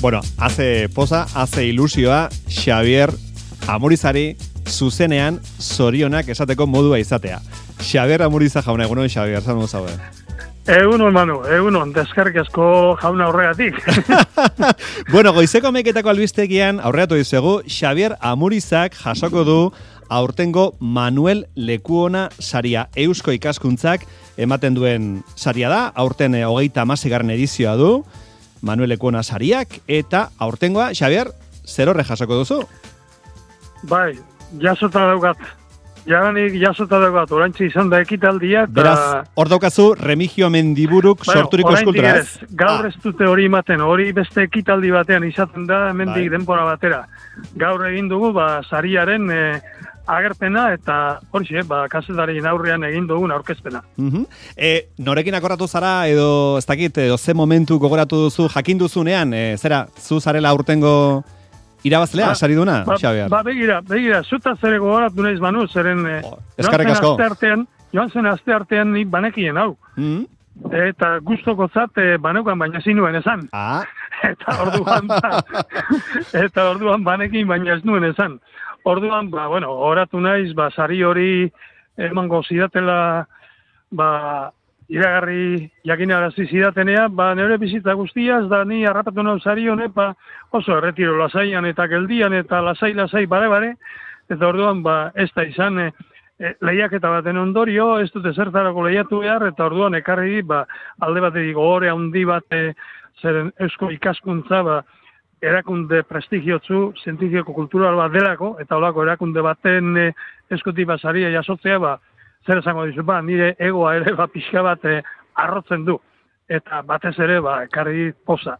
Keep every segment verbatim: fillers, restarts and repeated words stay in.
Bueno, hace poza, hace ilusioa, Xabier Amurizari zuzenean zorionak esateko modua izatea. Xabier Amuriza jauna, egunon Xabier, zan zaude. Egunon, Manu, egunon, deskarrik asko jauna horregatik. Bueno, goizeko meketako albistegian aurreatu dizuegu, Xabier Amurizak jasoko du aurtengo Manuel Lekuona saria. Eusko ikaskuntzak ematen duen saria da, aurten e, hogeita hamaseigarren edizioa du, Manuel Lekuona sariak, eta aurtengoa, Xabier, zer horre jasoko duzu? Bai, jasota daugat. Jaganik jasota daugat, orantxe izan da ekitaldia. Ta... Beraz, hor daukazu Remigio Mendiburuk bueno, sorturiko eskulturaz. Gaur ez dute hori ematen, hori beste ekitaldi batean izaten da, hemendik bai. Denbora batera. Gaur egin dugu, ba, sariaren e, agerpena, eta hori ba, kasetarien aurrean egin dugun aurkezpena. Uh-huh. E, norekin akorratu zara, edo ez dakit, edo ze momentu gogoratu duzu, jakin duzunean, e, zera, zu zarela aurtengo... Irabazlea, ba, sari duna, ba, Xabier? Ba, begira, begira, zuta zere gogoratu nahiz Manu, zeren oh, joan, zen aste artean, joan zen aste artean ni banekien hau. Mm-hmm. Eta gustoko zat baneukan baina zinuen esan. Ah. Eta orduan, ba, eta orduan banekin baina ez nuen esan. Orduan, ba, bueno, gogoratu naiz, ba, sari hori emango zidatela, ba, iragarri jakinarazi zidatenea, ba, nire bizitza guztiaz, da ni harrapatu nau sari honek, ba, oso erretiro lasaian eta geldian eta lasai-lasai bare-bare, eta orduan, ba, ez da izan e, e, lehiaketa baten ondorio, ez dute zertarako lehiatu behar, eta orduan ekarri, ba, alde batetik gogore handi bat, e, zeren eusko ikaskuntza, ba, erakunde prestigiotzu, zientifiko kultural bat delako, eta olako erakunde baten e, eskutik basaria jasotzea, ba, zer esango dizu, ba, nire egoa ere ba, pixka bat eh, arrotzen du. Eta batez ere, ba, ekarri poza.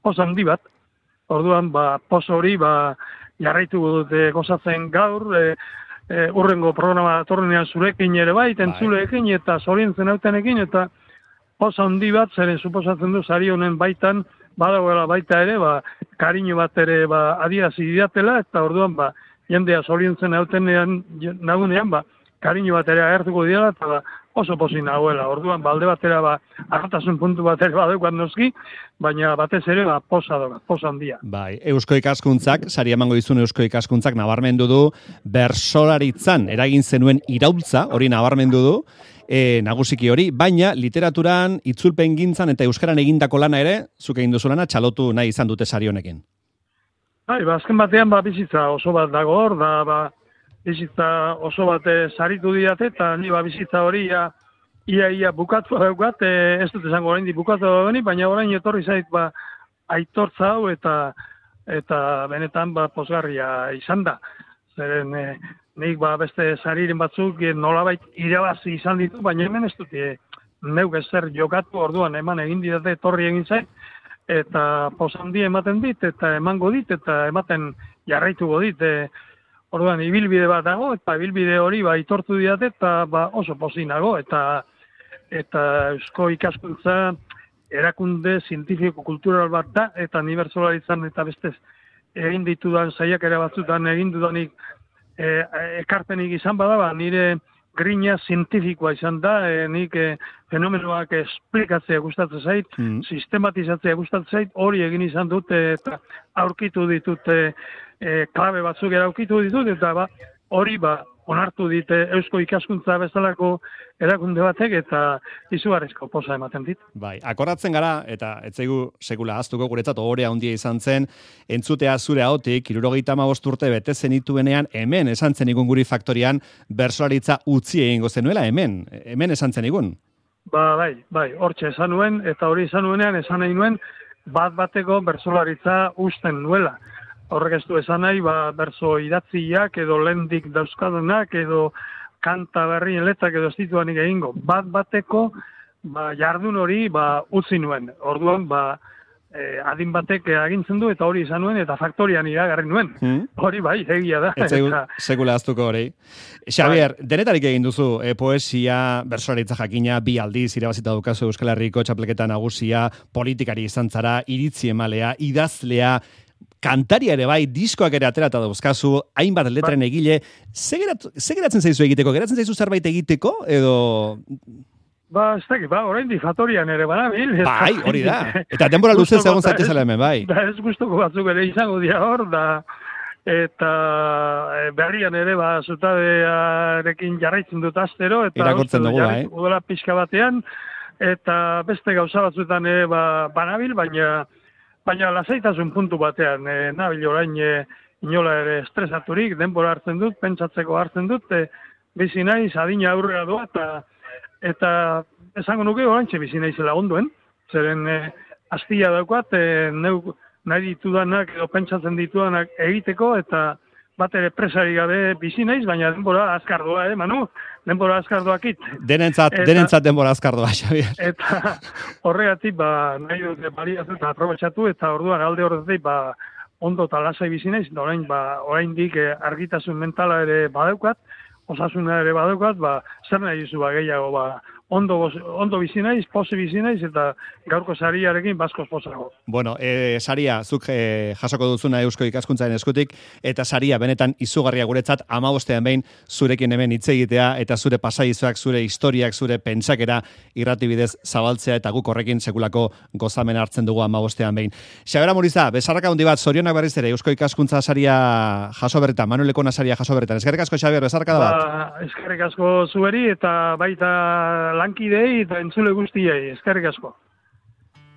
Poza handi bat. Orduan, ba, poza hori, ba, jarraitu dute gozatzen gaur, e, e, urrengo programa torrenean zurekin ere bai, entzuleekin eta zorientzen hautenekin, eta poza handi bat, zeren suposatzen du, sari honen baitan, badagoela baita ere, ba, kariño bat ere, ba, adierazi didatela, eta orduan, ba, jendea zorientzen hautenean, nagunean, ba, kariño bat ere agertuko dira, eta ba, oso pozik nagoela. Orduan, balde batera, ba, arrotasun puntu bat ere badeukat noski, baina batez ere, ba, posa doga, posa handia. Bai, Eusko ikaskuntzak, sari emango dizun Eusko ikaskuntzak nabarmendu du, bersolaritzan eragin zenuen iraultza, hori nabarmendu du, e, nagusiki hori, baina literaturan, itzulpen gintzan eta euskaran egindako lana ere, zuk egin duzu lana, txalotu nahi izan dute sari honekin. Bai, ba, azken batean, ba, bizitza oso bat dago hor, da, ba, bizitza oso bat e, saritu diate, eta ni ba bizitza hori ia, ia, ia bukatu daukat, e, ez dut esango orain di bukatu dagoeni, baina orain etorri zait ba, aitortza hau eta eta benetan ba, posgarria izan da. Zeren e, nik ba, beste sariren batzuk e, nolabait irabazi izan ditu, baina hemen ez dut e, neuk ezer jokatu orduan eman egin didate etorri egin zait, eta posandi ematen dit, eta emango dit, eta ematen jarraituko dit, e, orduan, ibilbide bat dago, eta ibilbide hori ba, itortu diate, eta ba, oso pozinago, eta eta eusko ikaskuntza erakunde zientifiko kultural bat da, eta unibertsolaritzan eta bestez egin ditudan saiak ere batzutan egin dudanik e, ekarpenik izan bada, ba, nire grina zientifikoa izan da, e, nik e, fenomenoak esplikatzea gustatzen zait, mm. sistematizatzea gustatzen zait, hori egin izan dute, eta aurkitu ditute e, klabe batzuk eraukitu ditut, eta ba, hori ba, onartu dite eusko ikaskuntza bezalako erakunde batek, eta izugarrizko poza ematen dit. Bai, akordatzen gara, eta etzaigu sekula ahaztuko guretzat ohorea handia izan zen, entzutea zure ahotik, hirurogeita hamabost urte bete zenituenean, hemen esan zenigun guri faktorian, bertsolaritza utzi egingo zenuela, hemen, hemen esan zenigun. Ba, bai, bai, hortxe esan nuen, eta hori esan nuenean, esan nahi nuen, bat bateko bertsolaritza usten nuela. Horrek ez du esan nahi, ba, berso idatziak edo lendik dauzkadunak edo kanta berrien letak edo ez dituanik egingo. Bat bateko ba, jardun hori ba, utzi nuen. Orduan, ba, eh, adin batek agintzen du eta hori izan nuen eta faktorian iragarri nuen. Hmm? Hori bai, egia da. Ez eta... sekula aztuko hori. Xabier, bai. Denetarik egin duzu, e, poesia, bertsolaritza jakina, bi aldiz irabazita dukazu Euskal Herriko txapleketa nagusia, politikari izan zara, iritzi emalea, idazlea, kantaria ere bai, diskoak ere aterata dauzkazu, hainbat letren egile, ze geratzen zaizu egiteko? Geratzen zaizu zerbait egiteko? Edo... Ba, ez dakit, ba, orain difatorian ere banabil. Bai, hori da. Eta denbora luzez egon zaitezela hemen, bai. Da ez guztoko batzuk ere izango dira hor, da, eta berrian ere, ba, zutabearekin jarraitzen dut astero, eta irakurtzen dugu, bai. Udala pixka batean, eta beste gauza batzuetan ere, ba, banabil, baina, baina lasaitasun puntu batean, e, nabil orain, e, inola ere estresaturik, denbora hartzen dut, pentsatzeko hartzen dut, e, bizi naiz, adina aurrera doa, eta Eta esango nuke oraintxe bizi naizela onduen, zeren e, astia daukat, e, neu nahi ditudanak edo pentsatzen ditudanak egiteko, eta bat ere presari gabe bizi naiz, baina denbora azkar doa, eh, Manu? Denbora azkar doakit. Denentzat, denentzat denbora azkar doa, Xabier. Eta horregatik, ba, nahi dute baliatu eta aprobetxatu, eta orduan alde horretik, ba, ondo eta lasai bizi naiz, eta orain, ba, oraindik e, argitasun mentala ere badaukat, osasuna ere badaukat, ba, zer nahi duzu ba, gehiago, ba, ondo, ondo bizi naiz, posi bizi naiz, eta gaurko sariarekin baskoz posago. Bueno, e, saria, zuk e, jasoko duzuna Eusko Ikaskuntzaren eskutik, eta saria benetan izugarria guretzat, amabostean behin zurekin hemen hitz egitea, eta zure pasaizuak, zure historiak, zure pentsakera irratibidez zabaltzea, eta guk horrekin sekulako gozamen hartzen dugu amabostean behin. Xabier Amuriza, bezarraka handi bat, zorionak berriz ere, Eusko Ikaskuntza saria jaso berretan, Manuel Lekona saria jaso berretan. Eskerrik asko, Xabier, bezarraka da bat. Ba, eskerrik asko zueri, eta baita lankidei eta entzule guztiei, eskerrik asko.